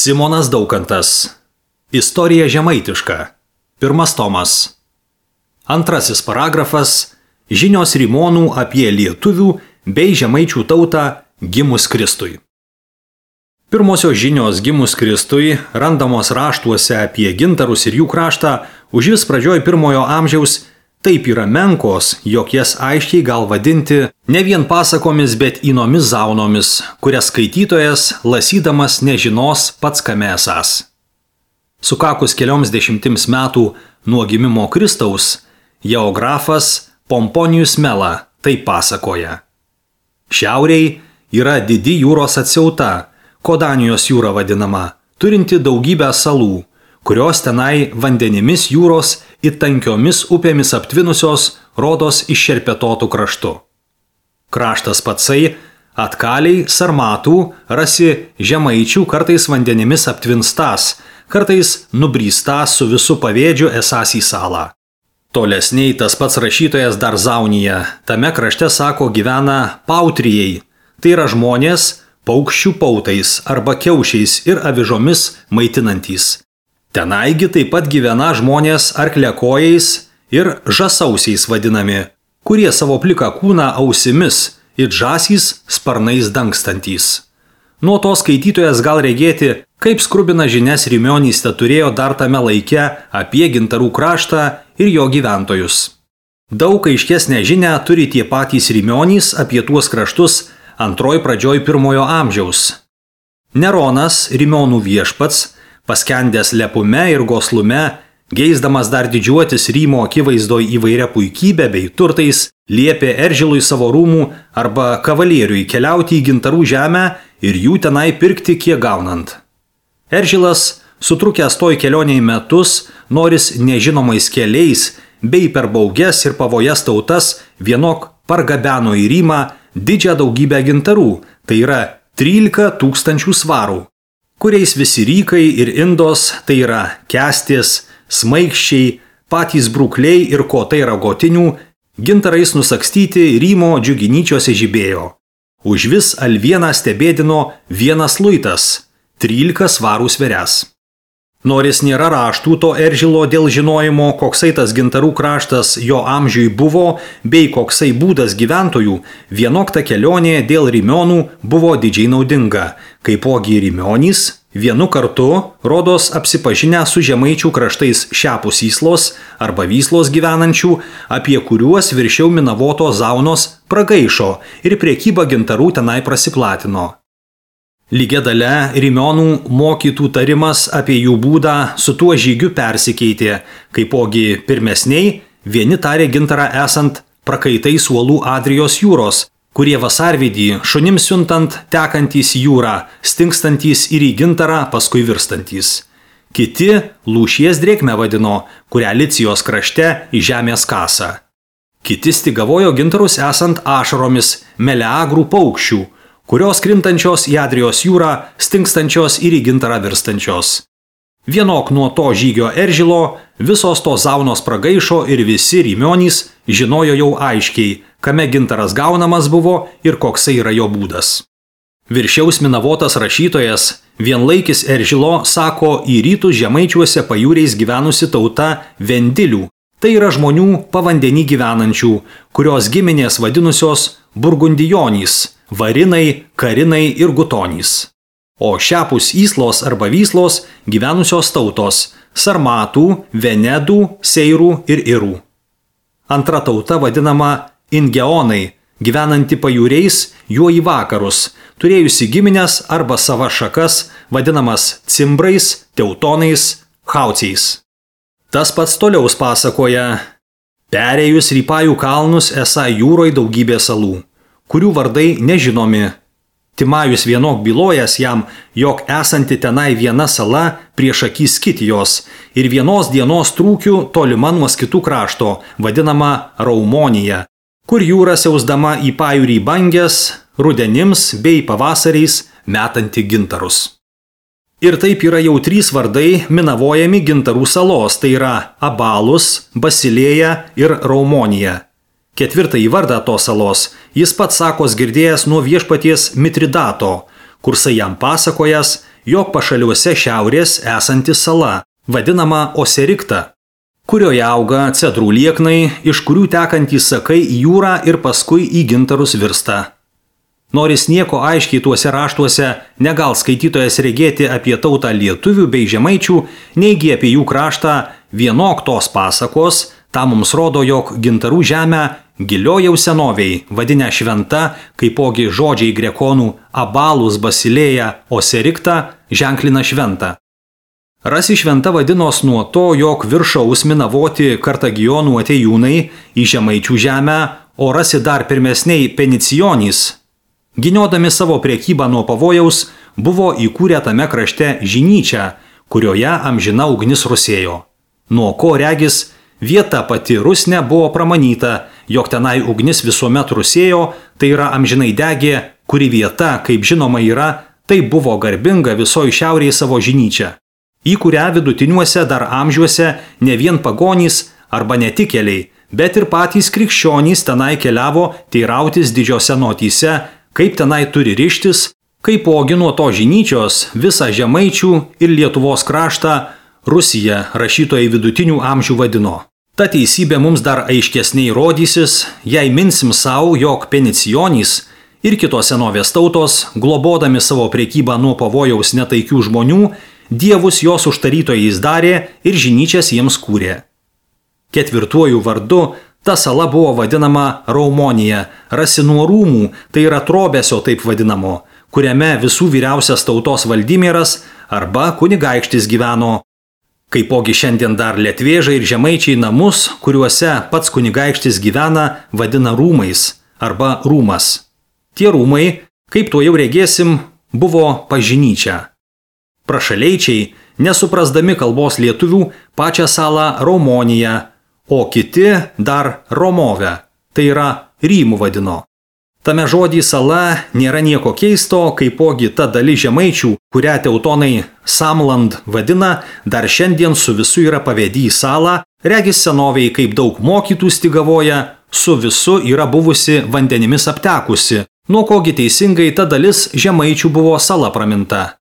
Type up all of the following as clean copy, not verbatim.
Simonas Daukantas. Istorija žemaitiška. 1 tomas. 2 paragrafas. Žinios rimonų apie lietuvių bei žemaičių tautą gimus Kristui. Pirmosios žinios gimus Kristui randamos raštuose apie gintarus ir jų kraštą užvis pradžioj 1 amžiaus taip yra menkos, jog jas aiškiai gal vadinti ne vien pasakomis, bet įnomis zaunomis, kurias skaitytojas, lasydamas, nežinos pats kame esąs. Sukakus kelioms dešimtims metų nuo gimimo Kristaus, geografas Pomponijus Mela taip pasakoja. Šiauriai yra didi jūros atsiauta, Kodanijos jūra vadinama, turinti daugybę salų, kurios tenai vandenimis jūros ir tankiomis upėmis aptvinusios rodos iššerpetotų kraštu. Kraštas patsai atkaliai sarmatų rasi žemaičių kartais vandenimis aptvinstas, kartais nubrystas su visu pavėdžiu esąs į salą. Tolesniai tas pats rašytojas dar Zaunija, tame krašte sako gyvena pautrijai, tai yra žmonės paukščių pautais arba kiaušiais ir avižomis maitinantys. Tenaigi taip pat gyvena žmonės arklekojais ir žasausiais vadinami, kurie savo pliką kūną ausimis ir žasys sparnais dangstantys. Nuo to skaitytojas gal regėti, kaip skrubina žinias Rimionys turėjo dar tame laike apie gintarų kraštą ir jo gyventojus. Daug aiškesnę žinią turi tie patys Rimionys apie tuos kraštus antroj pradžioj 1 amžiaus. Neronas, Rimionų viešpats, paskendęs lepume ir goslume, geisdamas dar didžiuotis Rymo akivaizdoj įvairia puikybė bei turtais, liepė Eržilui savo rūmų arba kavalieriui keliauti į gintarų žemę ir jų tenai pirkti kiek gaunant. Eržilas, sutrukęs toj kelioniai metus, noris nežinomais keliais bei per bauges ir pavojas tautas vienok pargabeno į Rymą didžią daugybę gintarų, tai yra 13 000 svarų, kuriais visi rykai ir indos, tai yra kęstis, smaigščiai, patys brukliai ir kotai ragotinių, gintarais nusakstyti Rymo džiuginyčiose žibėjo. Užvis alvieną stebėdino 1 luitas, 13 svarų sverias. Noris nėra raštų to Eržilo dėl žinojimo, koksai tas gintarų kraštas jo amžiui buvo, bei koksai būdas gyventojų, vienok ta kelionė dėl Rimionų buvo didžiai naudinga, kaipogi Rimionys vienu kartu rodos apsipažinę su žemaičių kraštais šiapus Įslos arba Vyslos gyvenančių, apie kuriuos viršiau Minavoto Zaunos pragaišo ir prekyba gintarų tenai prasiplatino. Lygia dalia Rimionų mokytų tarimas apie jų būdą su tuo žygiu persikeitė, kaipogi pirmesniai vieni tarė gintarą esant prakaitais uolų Adrijos jūros, kurie vasarvidį šunims siuntant tekantys jūrą, stingstantys ir į gintarą paskui virstantys. Kiti lūšies drėkmę vadino, kurią Licijos krašte į žemės kasą. Kiti stigavojo gintarus esant ašaromis meleagrų paukščių, kurios krintančios į Adrijos jūrą, stingstančios ir į gintarą virstančios. Vienok nuo to žygio Eržilo visos tos Zaunos pragaišo ir visi Rimionys žinojo jau aiškiai, kame gintaras gaunamas buvo ir koksai yra jo būdas. Viršiaus Minavotas rašytojas, vienlaikis Eržilo, sako į rytus žemaičiuose pajūriais gyvenusi tauta Vendilių, tai yra žmonių pavandenį gyvenančių, kurios giminės vadinusios Burgundijonys, Varinai, Karinai ir Gutonys. O šiapus Įslos arba Vyslos gyvenusios tautos Sarmatų, Venedų, Seirų ir Irų. Antra tauta vadinama Ingeonai, gyvenanti pajūriais juo į vakarus, turėjusi giminės arba sava šakas, vadinamas Cimbrais, Teutonais, Chauciais. Tas pats toliau pasakoja, perėjus Rypajų kalnus esą jūroj daugybė salų, kurių vardai nežinomi. Timajus vienok bylojas jam, jog esanti tenai viena sala prieš akis Kitijos ir vienos dienos trūkių tolima nuo kitų krašto, vadinama Raumonija, kur jūra siausdama į pajūrį bangės, rudenims bei pavasariais metanti gintarus. Ir taip yra jau 3 vardai minavojami gintarų salos, tai yra Abalus, Basilėja ir Raumonija. 4 vardą tos salos jis pats sakos girdėjęs nuo viešpaties Mitridato, kursai jam pasakojęs, jog pašaliuose šiaurės esanti sala, vadinama Oserikta, kurioje auga cedrų lieknai, iš kurių tekantys sakai į jūrą ir paskui į gintarus virsta. Noris nieko aiškiai tuose raštuose negal skaitytojas regėti apie tautą lietuvių bei žemaičių, neigi apie jų kraštą vienok tos pasakos, tą mums rodo, jog gintarų žemę giliojau senoviai, vadinę šventa, kaipogi žodžiai grekonų abalus basilėja Oserikta ženklina šventą. Rasi šventa vadinos nuo to, jog viršaus minavoti Kartagionų atėjūnai į žemaičių žemę, o rasi dar pirmesniai Penicijonys, giniodami savo priekybą nuo pavojaus, buvo įkūrę tame krašte žinyčią, kurioje amžina ugnis rusėjo. Nuo ko regis, vieta pati rusne buvo pramanyta, jog tenai ugnis visuomet rusėjo, tai yra amžinai degė, kuri vieta, kaip žinoma yra, tai buvo garbinga visoji šiaurėje savo žinyčia, į kurią vidutiniuose dar amžiuose ne vien pagonys arba netikėliai, bet ir patys krikščionys tenai keliavo teirautis didžiose notyse, kaip tenai turi rištis, kaipogi nuo to žinyčios visą žemaičių ir Lietuvos kraštą Rusija rašytojai vidutinių amžių vadino. Ta teisybė mums dar aiškesniai rodysis, jei minsim savo, jog Penicijonys ir kitos senovės tautos, globodami savo priekybą nuo pavojaus netaikių žmonių, dievus jos užtarytojais darė ir žinyčias jiems kūrė. Ketvirtuoju vardu ta sala buvo vadinama Raumonija, rasi nuo rūmų, tai yra trobesio taip vadinamo, kuriame visų vyriausias tautos valdymieras arba kunigaikštis gyveno. Kaipogi šiandien dar lietvėžai ir žemaičiai namus, kuriuose pats kunigaikštis gyvena, vadina rūmais arba rūmas. Tie rūmai, kaip to jau regėsim, buvo pažinyčia. Prašaleičiai, nesuprasdami kalbos lietuvių, pačią salą Raumoniją, o kiti dar Romovę, tai yra Rymų vadino. Tame žodį sala nėra nieko keisto, kaipogi ta dalis žemaičių, kurią teutonai Samland vadina, dar šiandien su visu yra pavėdy į salą, regis senoviai kaip daug mokytų stygavoja, su visu yra buvusi vandenimis aptekusi, nuo kogi teisingai ta dalis žemaičių buvo sala praminta.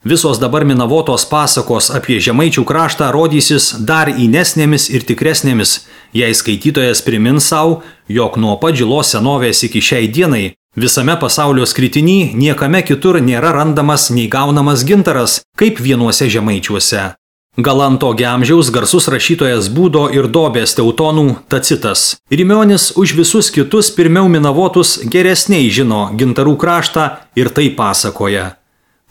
Visos dabar minavotos pasakos apie žemaičių kraštą rodysis dar įnesnėmis ir tikresnėmis, jei skaitytojas primins savo, jog nuo pat žilos senovės iki šiai dienai visame pasaulio skritiny niekame kitur nėra randamas nei gaunamas gintaras, kaip vienuose žemaičiuose. Galanto amžiaus garsus rašytojas Būdo ir Dobės teutonų Tacitas. Rimionis už visus kitus pirmiau minavotus geresniai žino gintarų kraštą ir tai pasakoja.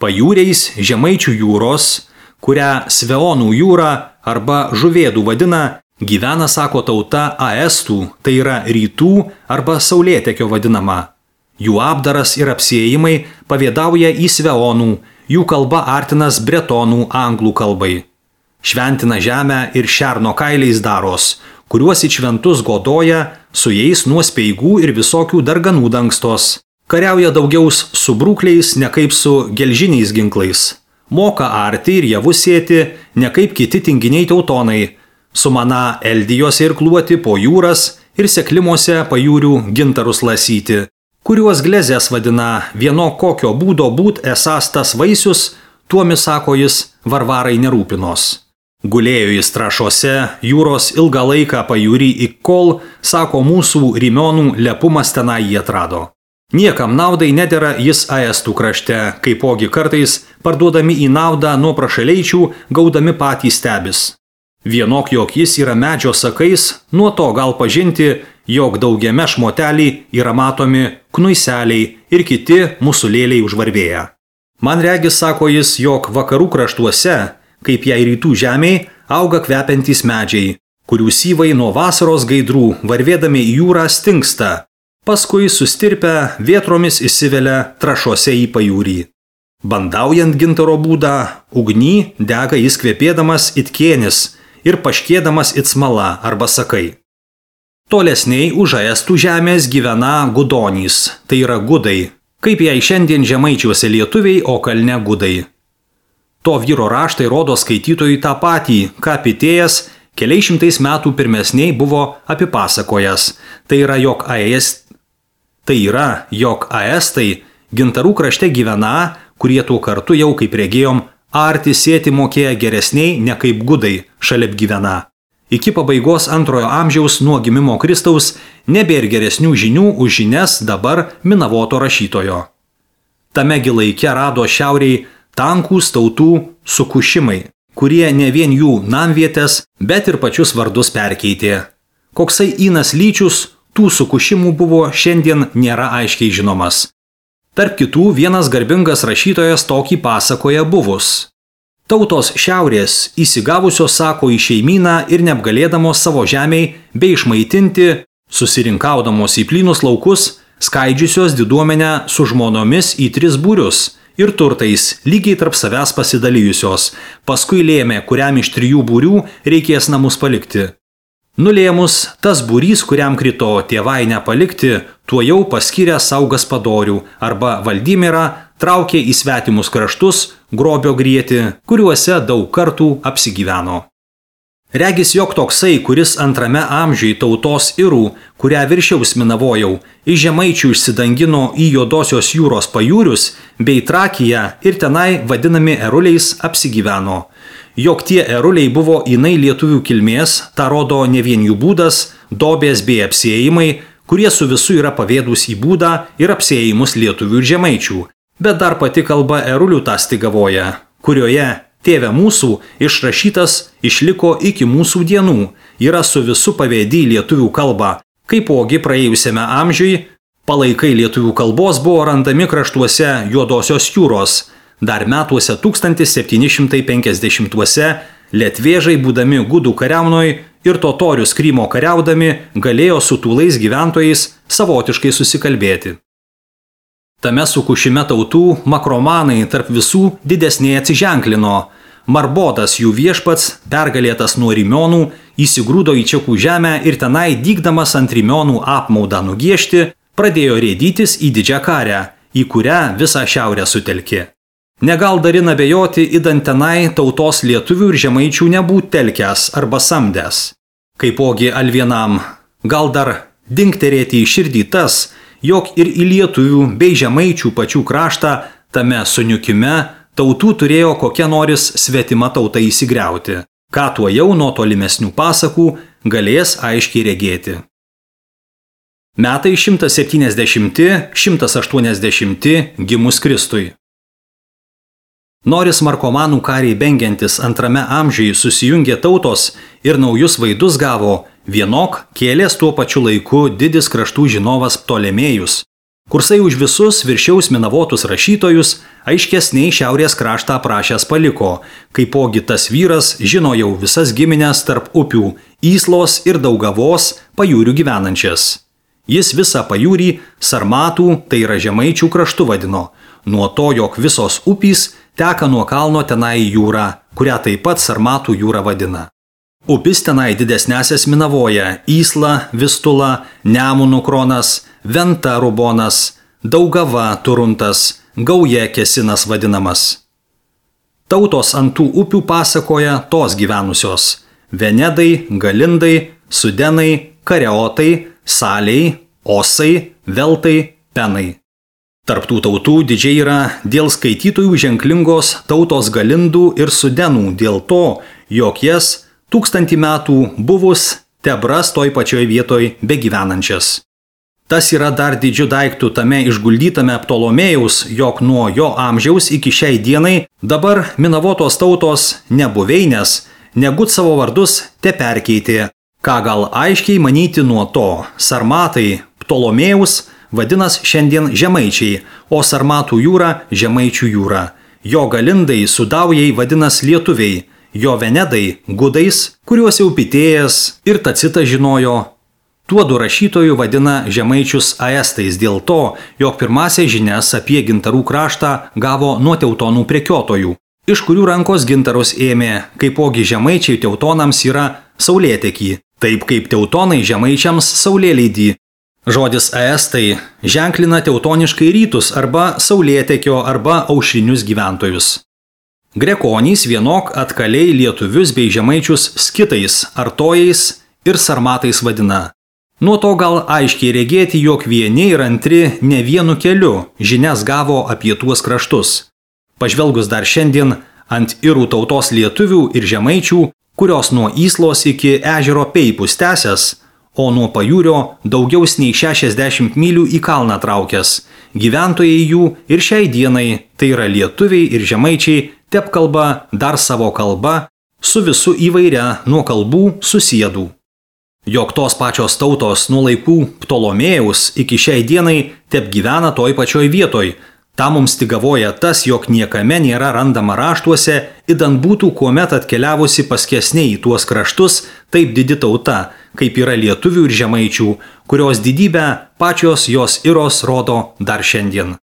Pajūriais žemaičių jūros, kurią Sveonų jūra arba Žuvėdų vadina, gyvena, sako tauta, Aestų, tai yra rytų arba Saulėtekio vadinama. Jų apdaras ir apsiėjimai pavėdauja į Sveonų, jų kalba artinas bretonų anglų kalbai. Šventina žemę ir šerno kailiais daros, kuriuos į šventus godoja, su jais nuo speigų ir visokių darganų dangstos. Kariauja daugiaus su brūkliais, ne kaip su gelžiniais ginklais. Moka arti ir javus sėti, ne kaip kiti tinginiai teutonai. Sumana eldijose ir kluoti po jūras ir seklimuose pajūrių gintarus lasyti, kuriuos glezės vadina vieno kokio būdo būt esas tas vaisius, tuomis, sako jis, varvarai nerūpinos. Gulėjo jis trašose, jūros ilgą laiką pajūrį iki kol, sako mūsų Rimionų lepumas tenai jį atrado. Niekam naudai nedera jis Aestų krašte, kaipogi kartais parduodami į naudą nuo prašaleičių, gaudami patys stebis. Vienok jog jis yra medžio sakais, nuo to gal pažinti, jog daugiame šmotelį yra matomi knuiseliai ir kiti musulėliai užvarvėję. Man regis, sako jis, jog vakarų kraštuose, kaip jai rytų žemėj, auga kvepiantys medžiai, kurių syvai nuo vasaros gaidrų varvėdami į jūrą stingsta. Paskui sustirpę vėtromis įsivelia trašose į pajūrį. Bandaujant gintaro būdą, ugny dega jis kvepėdamas it kėnis ir paškėdamas it smala arba sakai. Tolesniai už Aestų žemės gyvena gudonys, tai yra gudai, kaip jai šiandien žemaičiuose lietuviai, o kalne gudai. To vyro raštai rodo skaitytojui tą patį, ką Pitėjas keliais šimtais metų pirmesniai buvo apipasakojęs, tai yra, jog Aestai gintarų krašte gyvena, kurie tuo kartu jau, kaip regėjom, arti sėti mokėję geresniai ne kaip gudai šalia gyvena. Iki pabaigos 2 amžiaus nuo gimimo Kristaus nebėr geresnių žinių už žinias dabar Minavoto rašytojo. Tamegi laike rado šiauriai tankūs tautų sukušimai, kurie ne vien jų namvietės, bet ir pačius vardus perkeitė. Koksai Inas Lyčius tų sukušimų buvo šiandien nėra aiškiai žinomas. Tarp kitų vienas garbingas rašytojas tokį pasakoja buvus. Tautos šiaurės įsigavusios sako į šeimyną ir neapgalėdamos savo žemiai bei išmaitinti, susirinkaudamos į plynus laukus, skaidžiusios diduomenę su žmonomis į 3 būrius ir turtais lygiai tarp savęs pasidalijusios, paskui lėmė, kuriam iš 3 būrių reikės namus palikti. Nulėmus, tas būrys, kuriam krito tėvainę palikti, tuo jau paskyrė savo gaspadorių arba Valdymirą, traukė į svetimus kraštus, grobio grieti, kuriuose daug kartų apsigyveno. Regis jog toksai, kuris 2 amžiui tautos irų, kurią viršiaus Minavojau, iš žemaičių išsidangino į Juodosios jūros pajūrius bei Trakiją ir tenai vadinami eruliais apsigyveno. Jog tie eruliai buvo inai lietuvių kilmės, tą rodo ne vien jų būdas, dobės bei apsiėjimai, kurie su visu yra pavėdus į būdą ir apsiėjimus lietuvių ir žemaičių, bet dar pati kalba erulių tą stigavoja, kurioje Tėve mūsų išrašytas išliko iki mūsų dienų, yra su visu pavėdy lietuvių kalba, kaipogi praėjusiame amžiui palaikai lietuvių kalbos buvo randami kraštuose Juodosios jūros, dar metuose 1750-uose lietvėžai būdami gudų kariaunoj ir totorius Krymo kariaudami galėjo su tūlais gyventojais savotiškai susikalbėti. Tame sukušime tautų makromanai tarp visų didesnė atsiženklino. Marbodas jų viešpats, pergalėtas nuo Rimionų, įsigrūdo į Čekų žemę ir tenai dygdamas ant Rimionų apmaudą nugiešti, pradėjo rėdytis į Didžią Karę, į kurią visą šiaurę sutelkė. Negal darina bejoti, idant tenai tautos lietuvių ir žemaičių nebūt telkęs arba samdęs. Kaipogi alvienam, gal dar dingterėti į širdį tas, jog ir į lietuvių bei žemaičių pačių kraštą tame suniukime tautų turėjo kokia noris svetima tauta įsigriauti, ką tuo jau nuo tolimesnių pasakų galės aiškiai regėti. Metai 170–180 gimus Kristui. Noris markomanų kariai bengiantis 2 amžiui susijungė tautos ir naujus vaidus gavo, vienok kėlės tuo pačiu laiku didis kraštų žinovas Ptolemėjus, kursai už visus viršiaus Minavotus rašytojus aiškesniai šiaurės kraštą aprašęs paliko, kaipogi tas vyras žino jau visas giminės tarp upių Yslos ir Daugavos pajūrių gyvenančias. Jis visą pajūrį Sarmatų, tai yra žemaičių kraštu vadino, nuo to, jog visos upys teka nuo kalno tenai į jūrą, kurią taip pat Sarmatų jūra vadina. Upis tenai didesnėsias Minavoja Ysla, Vistula, Nemunų Kronas, Venta Rubonas, Daugava Turuntas, Gauja Kesinas vadinamas. Tautos ant tų upių pasakoja tos gyvenusios – Venedai, Galindai, Sudenai, Kareotai, Saliai, Osai, Veltai, Penai. Tarptų tautų didžiai yra dėl skaitytojų ženklingos tautos Galindų ir Sudenų dėl to, jog jas 1000 metų buvus tebras toj pačioj vietoj begyvenančias. Tas yra dar didžiu daiktų tame išguldytame Ptolomėjaus, jog nuo jo amžiaus iki šiai dienai dabar Minavotos tautos nebuveinės, negut savo vardus te perkeitė, ką gal aiškiai manyti nuo to. Sarmatai Ptolomėjaus vadinas šiandien žemaičiai, o Sarmatų jūra žemaičių jūra. Jo Galindai Sudaujai vadinas lietuviai, jo Venedai gudais, kuriuos jau Pitėjas ir Tacitas žinojo. Tuodu rašytojų vadina žemaičius aestais dėl to, jog pirmąsias žinias apie gintarų kraštą gavo nuo teutonų prekiotojų, iš kurių rankos gintarus ėmė, kaipogi žemaičiai teutonams yra saulėtekį, taip kaip teutonai žemaičiams saulėleidį. Žodis aestai ženklina teutoniškai rytus arba saulėtekio arba aušrinius gyventojus. Grekonys vienok atkaliai lietuvius bei žemaičius skitais, artojais ir sarmatais vadina. Nuo to gal aiškiai regėti, jog vieni ir antri ne vienu keliu žinias gavo apie tuos kraštus. Pažvelgus dar šiandien ant irų tautos lietuvių ir žemaičių, kurios nuo Yslos iki ežero Peipus tęsęs, o nuo pajūrio daugiau nei 60 mylių į kalną traukęs. Gyventojai jų ir šiai dienai, tai yra lietuviai ir žemaičiai, tepkalba dar savo kalba, su visu įvairia nuo kalbų susėdų. Jog tos pačios tautos nuo laikų Ptolomėjaus iki šiai dienai tep gyvena toj pačioj vietoj. Ta mums tik gavoja tas, jog niekame nėra randama raštuose, idant būtų kuomet atkeliavusi paskesniai į tuos kraštus taip didi tauta, kaip yra lietuvių ir žemaičių, kurios didybę pačios jos iros rodo dar šiandien.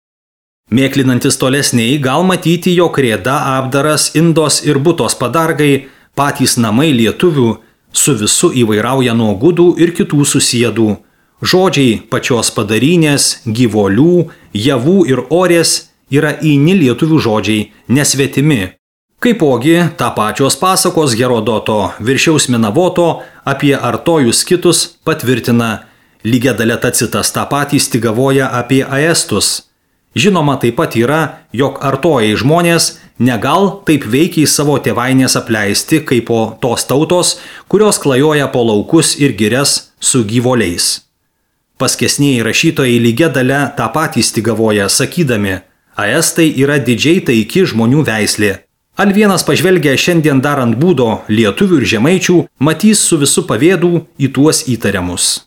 Mėklinantis tolesniai gal matyti, jog Rėda, Abdaras, Indos ir Butos padargai, patys namai lietuvių, su visu įvairauja nuo gudų ir kitų susėdų. Žodžiai pačios padarynės, gyvolių, javų ir orės yra įni lietuvių žodžiai, nesvetimi. Kaipogi tą pačios pasakos Herodoto Viršiaus Minavoto apie artojus kitus patvirtina. Lygia dalia Tacitas tą patį stigavoja apie aestus. Žinoma taip pat yra, jog artojai žmonės negal taip veikiai savo tėvainės apleisti, kaip po tos tautos, kurios klajoja po laukus ir girias su gyvoliais. Paskesnieji rašytojai lygia dalia tą patį stigavoja, sakydami, aestai yra didžiai taiki žmonių veislė. Al vienas pažvelgia šiandien dar ant būdo lietuvių ir žemaičių, matys su visu pavėdų į tuos įtariamus.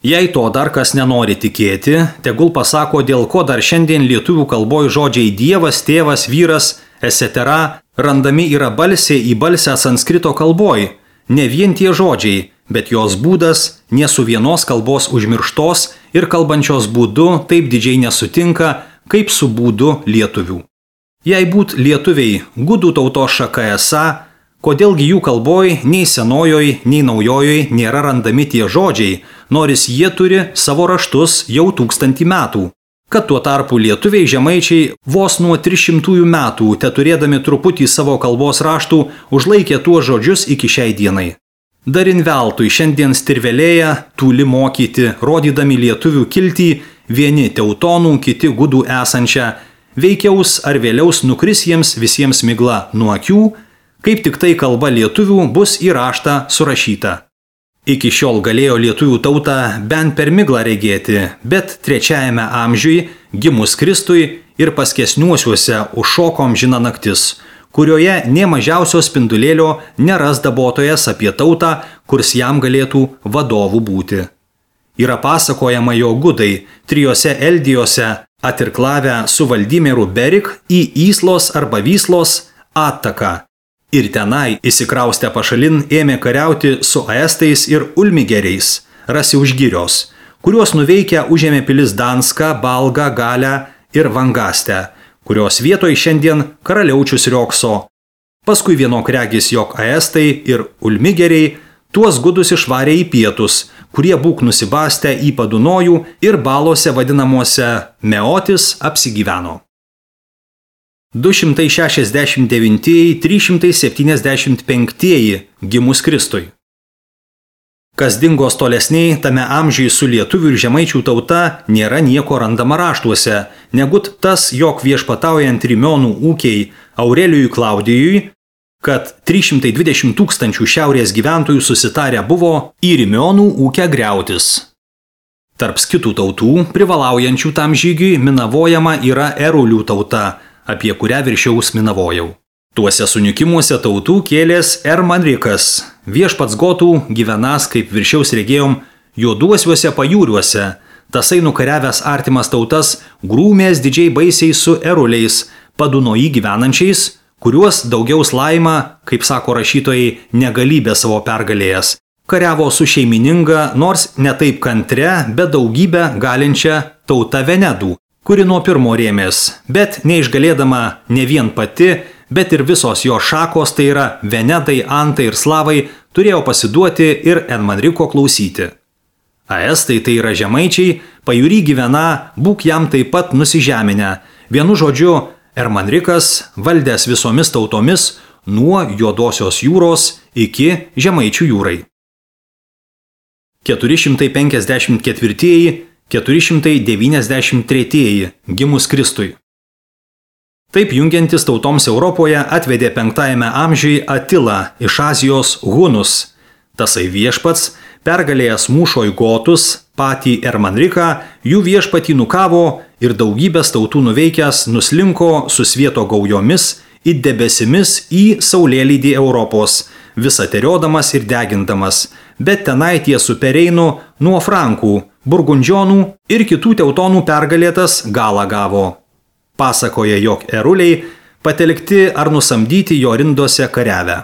Jei to dar kas nenori tikėti, tegul pasako, dėl ko dar šiandien lietuvių kalboj žodžiai dievas, tėvas, vyras, etc. randami yra balsė į balsę sanskrito kalboj. Ne vien tie žodžiai, bet jos būdas ne su vienos kalbos užmirštos ir kalbančios būdu taip didžiai nesutinka, kaip su būdu lietuvių. Jei būt lietuviai gudų tautos šaka esą, kodėlgi jų kalboj nei senojoj, nei naujojoj nėra randami tie žodžiai, nors jie turi savo raštus jau 1000 metų. Kad tuo tarpu lietuviai žemaičiai vos nuo 300 metų, te turėdami truputį savo kalbos raštų, užlaikė tuos žodžius iki šiai dienai. Darin veltui šiandien stirvelėja, tūli mokyti, rodydami lietuvių kiltį, vieni teutonų, kiti gudų esančią, veikiaus ar vėliaus nukris jiems visiems migla nuo akių, kaip tik tai kalba lietuvių bus į raštą surašyta. Iki šiol galėjo lietuvių tautą bent per miglą regėti, bet 3 amžiui, gimus Kristui ir paskesniuosiuose užšokom žina naktis, kurioje nė mažiausio spindulėlio neras dabotojas apie tautą, kurs jam galėtų vadovų būti. Yra pasakojama, jo gudai 3 Eldijose atirklavę su Valdimieru Berik į Yslos arba Vyslos attaką. Ir tenai įsikraustę pašalin ėmė kariauti su aestais ir ulmigeriais, rasi už girios, kuriuos nuveikę užėmė pilis Danską, Balgą, Galę ir Vangastę, kurios vietoj šiandien karaliaučius riokso. Paskui vienok regis, jog aestai ir ulmigeriai tuos gudus išvarė į pietus, kurie būk nusibastę į Padunojų ir balose vadinamuose Meotis apsigyveno. 269-375 gimus Kristui. Kas dingos tolesniai tame amžiui su lietuvių ir žemaičių tauta nėra nieko randama raštuose, negut tas, jog viešpataujant Rimionų ūkiai Aurelijui Klaudijui, kad 320 000 šiaurės gyventojų susitarę buvo į Rimionų ūkę griautis. Tarp kitų tautų, privalaujančių tam žygiui, minavojama yra Erulių tauta, apie kurią viršiaus minavojau. Tuose sunikimuose tautų kėlės Ermanrikas, viešpats gotų gyvenas, kaip viršiaus regėjom, juoduosiuose pajūriuose, tasai nukariavęs artimas tautas, grūmės didžiai baisiai su Eruliais, Padunoji gyvenančiais, kuriuos daugiaus laima, kaip sako rašytojai, negalybė savo pergalėjęs. Kariavo su šeimininga, nors ne taip kantre, bet daugybę galinčią tauta Venedų, kuri nuo pirmo rėmės, bet neišgalėdama ne vien pati, bet ir visos jo šakos, tai yra Venedai, Antai ir Slavai, turėjo pasiduoti ir Ermanriko klausyti. Aestai, tai yra žemaičiai, pajūry gyvena, būk jam taip pat nusižeminę. Vienu žodžiu, Ermanrikas valdęs visomis tautomis nuo Juodosios jūros iki Žemaičių jūrai. 454-493 gimus Kristui. Taip jungiantis tautoms Europoje atvedė 5 amžiuje Atilą iš Azijos hunus. Tasai viešpats, pergalėjęs mūšoj gotus, patį Ermanriką, jų viešpatį nukavo ir daugybės tautų nuveikęs nuslinko su svieto gaujomis it debesimis į saulėlydį Europos, visą teriodamas ir degindamas, bet tenai ties Pereinu nuo Frankų, Burgundžionų ir kitų teutonų pergalėtas galą gavo. Pasakoja, jog eruliai patelikti ar nusamdyti jo rindose kariavę.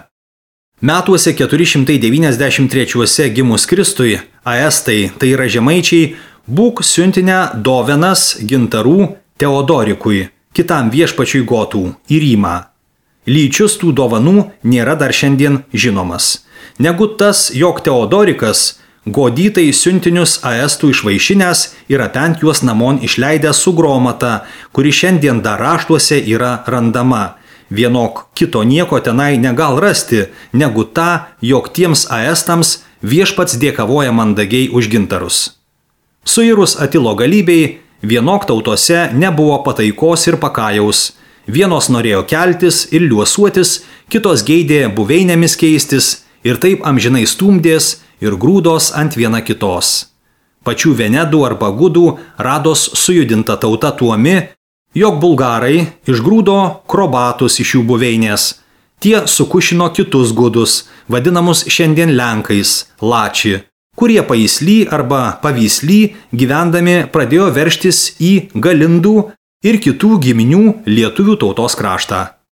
Metuose 493 gimus Kristui, aestai, tai yra žemaičiai, būk siuntinę dovenas gintarų Teodorikui, kitam viešpačiui gotų, į Rymą. Lyčius tų dovanų nėra dar šiandien žinomas. Negu tas, jog Teodorikas godytai siuntinius aestų išvaišinęs ir atent juos namon išleidęs su gromata, kuri šiandien dar raštuose yra randama. Vienok kito nieko tenai negal rasti, negu tą, jog tiems aestams viešpats dėkavoja mandagiai už gintarus. Suirus Atilo galybei, vienok tautose nebuvo pataikos ir pakajaus. Vienos norėjo keltis ir liuosuotis, kitos geidė buveinėmis keistis ir taip amžinai stumdės ir grūdos ant viena kitos. Pačių Venedų arba Gudų rados sujudinta tauta tuomi, jog bulgarai išgrūdo krobatus iš jų buveinės. Tie sukušino kitus gudus, vadinamus šiandien Lenkais, Lači, kurie Paisly arba Pavysly gyvendami pradėjo veržtis į Galindų ir kitų giminių lietuvių tautos kraštą.